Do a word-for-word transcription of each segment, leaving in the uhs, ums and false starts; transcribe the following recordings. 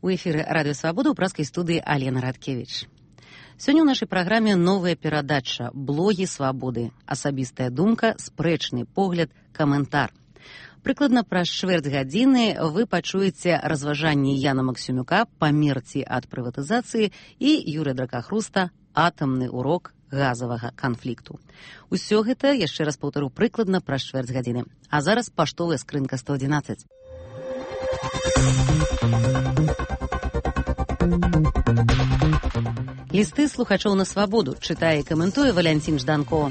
У эфіры Радыё Свабода ў праскай студыі Алена Радкевіч. Сёння ў нашай праграме новая перадача «Блогі свабоды». Асабістая думка, спрэчны погляд, каментар. Прыкладна праз чвэрць гадзіны вы пачуеце разважанні Яна Максімюка «Памерці ад прыватызацыі» і Юрыя Дракахруста «Атамны урок газавага канфлікту». Усё гэта, яшчэ раз паўтару, прыкладна праз чвэрць гадзіны. А зараз паштовая скрынка сто адзінаццаць. Лісты слухачоў на свабоду чытае і каментуе Валянцін Жданко.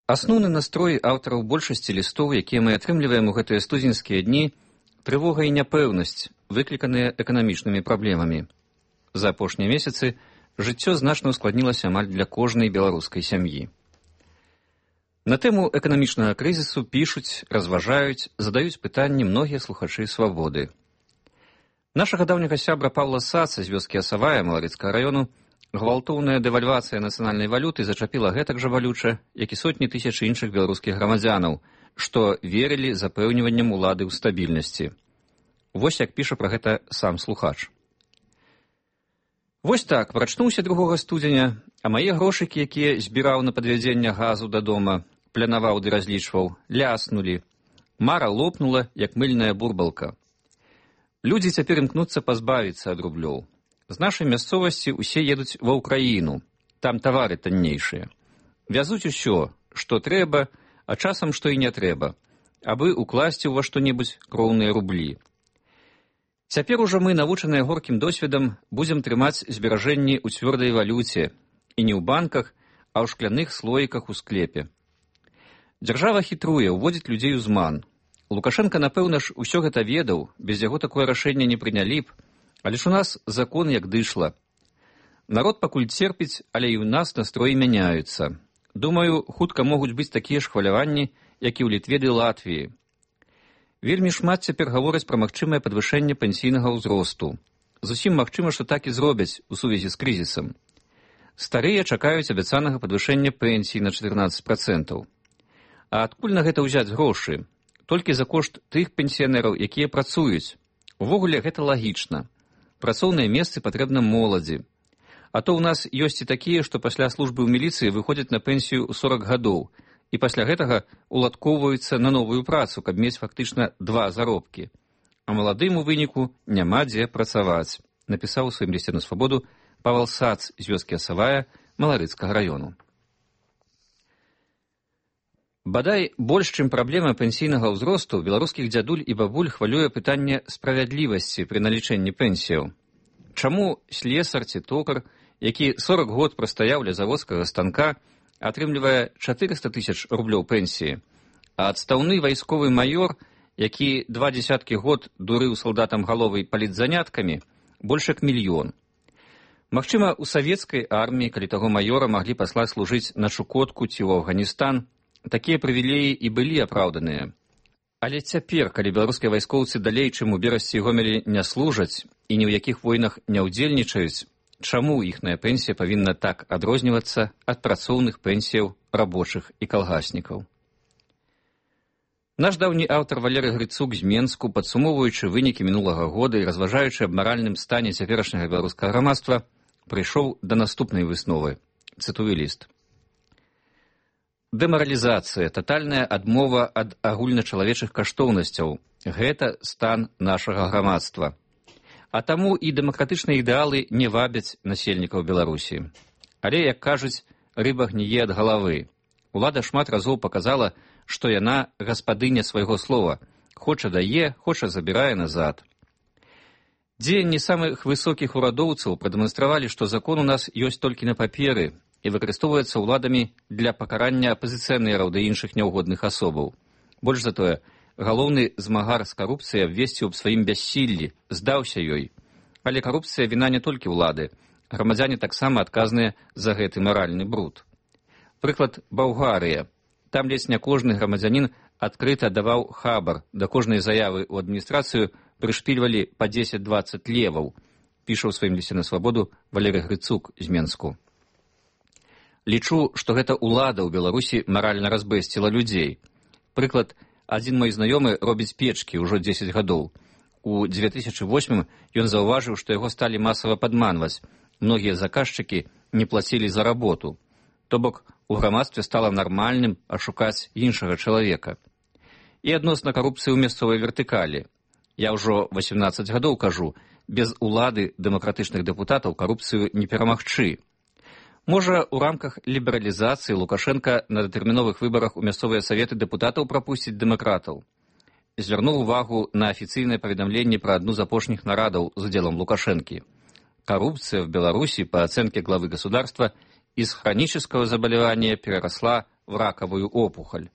Асноўны настрой аўтараў большасці лістоў, якія мы атрымліваем у гэтыя студзеньскія дні, трывога і няпэўнасць, выкліканыя эканамічнымі праблемамі. За апошнія месяцы жыццё значна ускладнілася амаль для кожнай беларускай сям'і. На тэму эканамічнага крызісу пішуць, разважаюць, задаюць пытанні многія слухачы свабоды. Нашага даўняга сябра Паўла Саца з вёскі Асавая Маларыцкага раёну гвалтоўная дэвальвацыя нацыянальнай валюты зачапіла гэтак жа балюча, як і сотні тысяч іншых беларускіх грамадзянаў, што верылі запэўніванням улады ў стабільнасці. Вось як піша пра гэта сам слухач. Вось так, прачнуўся другога студзеня, а мае грошыкі, якія збіраў на падвядзенне газу да дома, планаваў ды разлічваў, ляснулі. Мара лопнула, як мыльная бурбалка. Людзі цяпер імкнуцца пазбавіцца ад рублёў. З нашай мясцовасці ўсе едуць ва ўкраіну, там тавары таннейшыя. Вязуць усё, што трэба, а часам што і не трэба, абы укласці ўва што-небудзь кроўныя рублі. Цяпер ужо мы, навучаныя горкім досведам, будзем трымаць зберажэнні ў цвёрдай валюце, і не ў банках, а ў шкляных слоіках у склепе. Дзяржава хітруе, уводзіць людзей у зман. Лукашенка, напэўна ж, усё гэта ведаў, без яго такое рашэнне не прынялі б, але ж у нас закон як дышла. Народ пакуль церпіць, але і ў нас настроі мяняюцца. Думаю, хутка могуць быць такія ж хваляванні, як і ў Літве ды Латвіі. Вельмі шмат цяпер гавораць пра магчымае падвышэнне пенсійнага ўзросту. Зусім магчыма, што так і зробяць у сувязі з крызісам. Старыя чакаюць абяцанага падвышэння пенсій на чатырнаццаць працэнтаў. А адкуль на гэта ўзяць грошы? Толькі за кошт тых пенсіянераў, якія працуюць. Увогуле гэта лагічна. Працоўныя месцы патрэбна моладзі. А то ў нас ёсць і такія, што пасля службы ў міліцыі выходзяць на пенсію ў сорак гадоў і пасля гэтага уладкоўваюцца на новую працу, каб мець фактычна два заробкі. А маладым у выніку няма дзе працаваць, напісаў у сваім лісце на свабоду Павел Сац з вёскі Асавая Маларыцкага раёну. Бадай, больш, чым праблема пенсійнага ўзросту, беларускіх дзядуль і бабуль хвалюе пытанне справядлівасці пры налічэнні пенсіяў. Чаму слесар ці токар, які сорак год прастаяў ля заводскага станка, атрымлівае чатырыста тысяч рублёў пенсіі, а адстаўны вайсковы маёр, які два дзесяткі год дурыў салдатам галовай палітзаняткамі, больш як мільён. Магчыма, у савецкай арміі, калі таго маёра маглі паслаць служыць на Чукотку ці ў Афганістан, такія прывілеі і былі апраўданыя. Але цяпер, калі беларускія вайскоўцы далей, чым у Берасці і Гомелі, не служаць і ні ў якіх войнах не ўдзельнічаюць, чаму іхная пенсія павінна так адрознівацца ад працоўных пенсіяў рабочых і калгаснікаў? Наш даўні аўтар Валерый Грыцук з Менску, падсумоўваючы вынікі мінулага года і разважаючы аб маральным стане цяперашняга беларускага грамадства, прыйшоў да наступнай высновы. Цытую ліст. Дэмаралізацыя, татальная адмова ад агульначалавечых каштоўнасцяў – гэта стан нашага грамадства. А таму і дэмакратычныя ідэалы не вабяць насельнікаў Беларусі. Але, як кажуць, рыба гніе ад галавы. Улада шмат разоў паказала, што яна гаспадыня свайго слова. Хоча дае, хоча забірае назад. Дзеянні самых высокіх урадоўцаў прадэманстравалі, што закон у нас ёсць толькі на паперы і выкарыстоўваецца ўладамі для пакарання апазіцыянераў да іншых няўгодных асобаў. Больш за тое, галоўны змагар з карупцыяй абвесціў аб сваім бяссіллі, здаўся ёй. Але карупцыя віна не толькі ўлады. Грамадзяне таксама адказныя за гэты маральны бруд. Прыклад Балгарыя. Там ледзь не кожны грамадзянін адкрыта даваў хабар, да кожнай заявы ў адміністрацыю прышпільвалі па дзесяць-дваццаць леваў, піша ў сваім лісце на свабоду Валерый Грыцук з Менску. Лічу, што гэта ўлада ў Беларусі маральна разбэсціла людзей. Прыклад, адзін мой знаёмы робіць печкі ўжо дзесяць гадоў. у дзве тысячы восьмым ён заўважыў, што яго сталі масава падманваць. Многія заказчыкі не плацілі за работу. То бок, у грамадстве стала нармальным ашукаць іншага чалавека. І адносна карупцыі ў мясцовай вертыкалі. Я ўжо васямнаццаць гадоў кажу, без улады дэмакратычных дэпутатаў карупцыю не перамагчы. Можа, у рамках лібералізацыі Лукашенка на датэрміновых выбарах у мясцовыя саветы дэпутатаў прапусціць дэмакратаў. Звярнуў увагу на афіцыйнае паведамленне пра адну з апошніх нарадаў з удзелам Лукашэнкі. Коррупция в Беларуси, по оценке главы государства, из хронического заболевания переросла в раковую опухоль.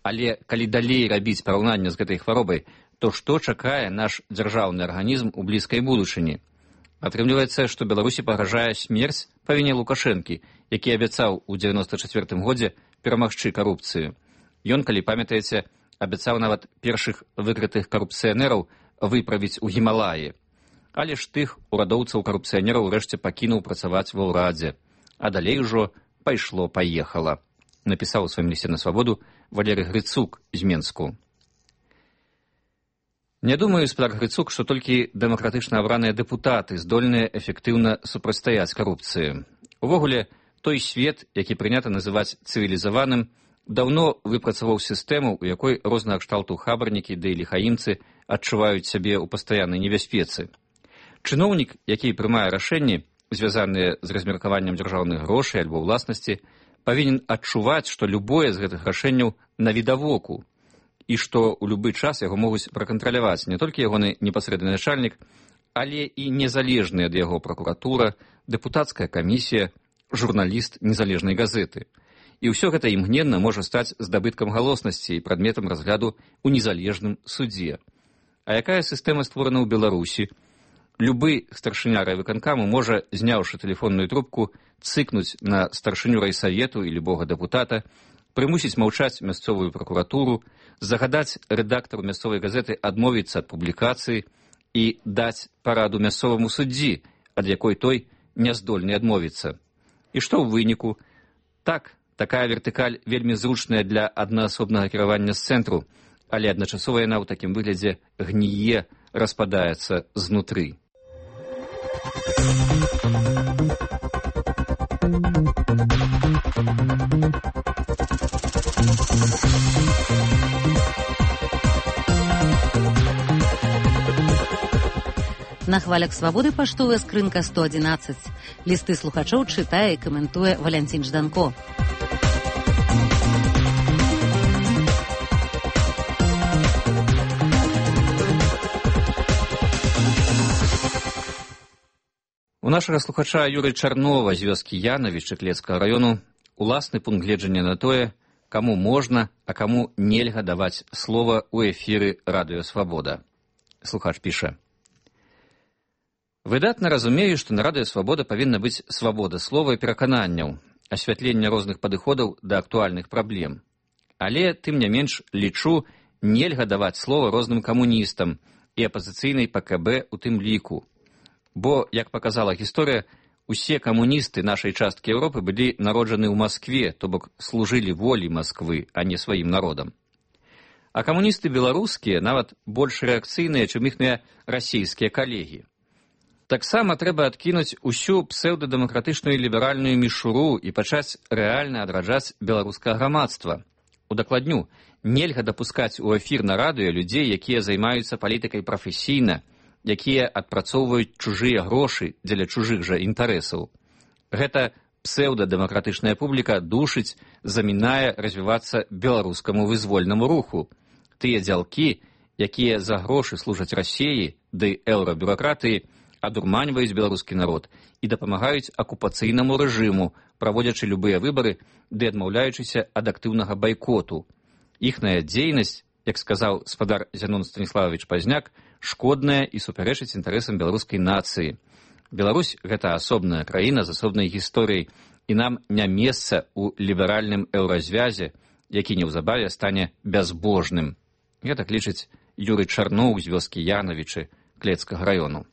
Але калі далей рабіць параўнанне з гэтай хваробай, то што чакае наш дзяржаўны арганізм у блізкай будучыні? Атрымліваецца, што Беларусі пагражае смерць па віне Лукашэнкі, які абяцаў у дзевяноста чацвёртым годзе перамагчы карупцыю. Ён, калі памятаеце, абяцаў нават першых выкрытых карупцыянераў выправіць у Гімалаі. Але ж тых урадоўцаў-карупцыянераў урэшце пакінуў працаваць ва ўрадзе. А далей ужо пайшло-паехала. Напісаў у сваім лісце на свабоду Валерый Грыцук з Менску. Не думаю, спадар Грыцук, што толькі дэмакратычна абраныя дэпутаты здольныя эфектыўна супрацьстаяць карупцыі. Увогуле, той свет, які прынята называць цывілізаваным, даўно выпрацаваў сістэму, у якой рознага кшталту хабарнікі ды ліхаімцы адчуваюць сябе ў пастаяннай небяспецы. Чыноўнік, які прымае рашэнні, звязаныя з размеркаваннем дзяржаўных грошай альбо ўласнасці, павінен адчуваць, што любое з гэтых рашэнняў навідавоку, і што ў любы час яго могуць пракантраляваць не толькі ягоны непасрэдны начальнік, але і незалежная ад яго пракуратура, дэпутацкая камісія, журналіст незалежнай газеты. І ўсё гэта імгненна можа стаць здабыткам галоснасці і прадметам разгляду ў незалежным судзе. А якая сістэма створана ў Беларусі? Любы старшыня райвыканкаму можа, зняўшы тэлефонную трубку, цыкнуць на старшыню райсавету і любога дэпутата, прымусіць маўчаць мясцовую пракуратуру, загадаць рэдактару мясцовай газеты адмовіцца ад публікацыі і даць параду мясцоваму суддзі, ад якой той не здольны адмовіцца. І што ў выніку? Так, такая вертыкаль вельмі зручная для аднаасобнага кіравання з цэнтру, але адначасова яна ў такім выглядзе гніе, распадаецца знутры. На хвалях свабоды паштовая скрынка сто адзінаццаць. Лісты слухачоў чытае і каментуе Валянцін Жданко. У нашага слухача Юры Чарнова з вёскі Янавіч Клецкага раёну уласны пункт гледжання на тое, каму можна, а каму нельга даваць слова ў эфіры Радыё Свабода. Слухач піша: выдатна разумею, што на Радыё Свабода павінна быць свабода слова і перакананняў, асвятленне розных падыходаў да актуальных праблем. Але, тым не менш, лічу, нельга даваць слова розным камуністам і апазіцыйнай Па Ка Бэ у тым ліку. Бо, як паказала гісторыя, усе камуністы нашай часткі Еўропы былі народжаны ў Маскве, то бок служылі волі Масквы, а не сваім народам. А камуністы беларускія нават больш рэакцыйныя, чым іхныя расійскія калегі. Таксама трэба адкінуць усю псеўдадэмакратычную ліберальную мішуру і пачаць рэальна адраджаць беларускае грамадства. Удакладню, нельга дапускаць у эфір на радыё людзей, якія займаюцца палітыкай прафесійна, якія адпрацоўваюць чужыя грошы дзеля чужых жа інтарэсаў. Гэта псеўдадэмакратычная публіка душыць, замінае развівацца беларускаму вызвольнаму руху. Тыя дзялкі, якія за грошы служаць Расіі ды еўрабюракратыі, адурманьваюць беларускі народ і дапамагаюць акупацыйнаму рэжыму, праводзячы любыя выбары ды адмаўляючыся ад актыўнага байкоту. Іхная дзейнасць, як сказаў спадар Зянон Станіславович Пазняк, шкодная і супярэчыць інтарэсам беларускай нацыі. Беларусь – гэта асобная краіна з асобнай гісторыяй, і нам не месца ў ліберальным еўразвязе, які неўзабаве стане бязбожным. Гэтак лічыць Юры Чарноў з вёскі Янавічы Клецкага раёну.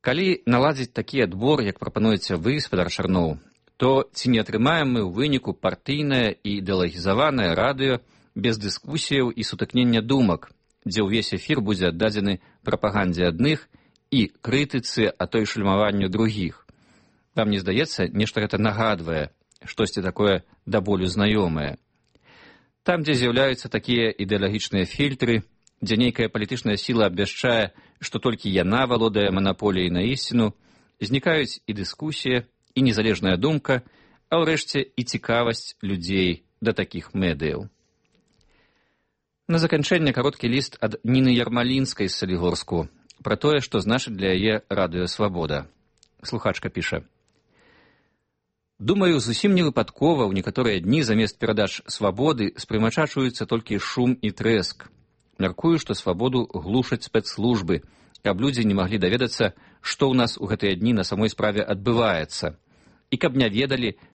Калі наладзіць такі адбор, як прапануеце вы, спадар Чарноў, то ці не атрымаем мы ў выніку партыйнае і ідэалагізаванае радыё без дыскусіяў і сутыкнення думак, дзе ўвесь эфір будзе аддадзены прапагандзе адных і крытыцы, а то і шальмаванню другіх. Вам не здаецца, нешта гэта нагадвае, штосьці такое да болю знаёмае. Там, дзе з'яўляюцца такія ідэалагічныя фільтры, дзе нейкая палітычная сіла абвяшчае, што толькі яна валодае манаполіяй на ісціну, знікаюць і дыскусія, і незалежная думка, а ўрэшце і цікавасць людзей да такіх медыяў. На заканчэнне кароткі ліст ад Ніны Ярмалінскай з Салігорску пра тое, што значыць для яе радыё «Свабода». Слухачка піша: «Думаю, зусім не выпадкова ў некаторыя дні замест перадач «Свабоды» спрымачачваюцца толькі шум і трэск. Мяркую, што «Свабоду» глушаць спецслужбы, каб людзі не маглі даведацца, што ў нас у гэтыя дні на самой справе адбываецца, і каб не ведалі,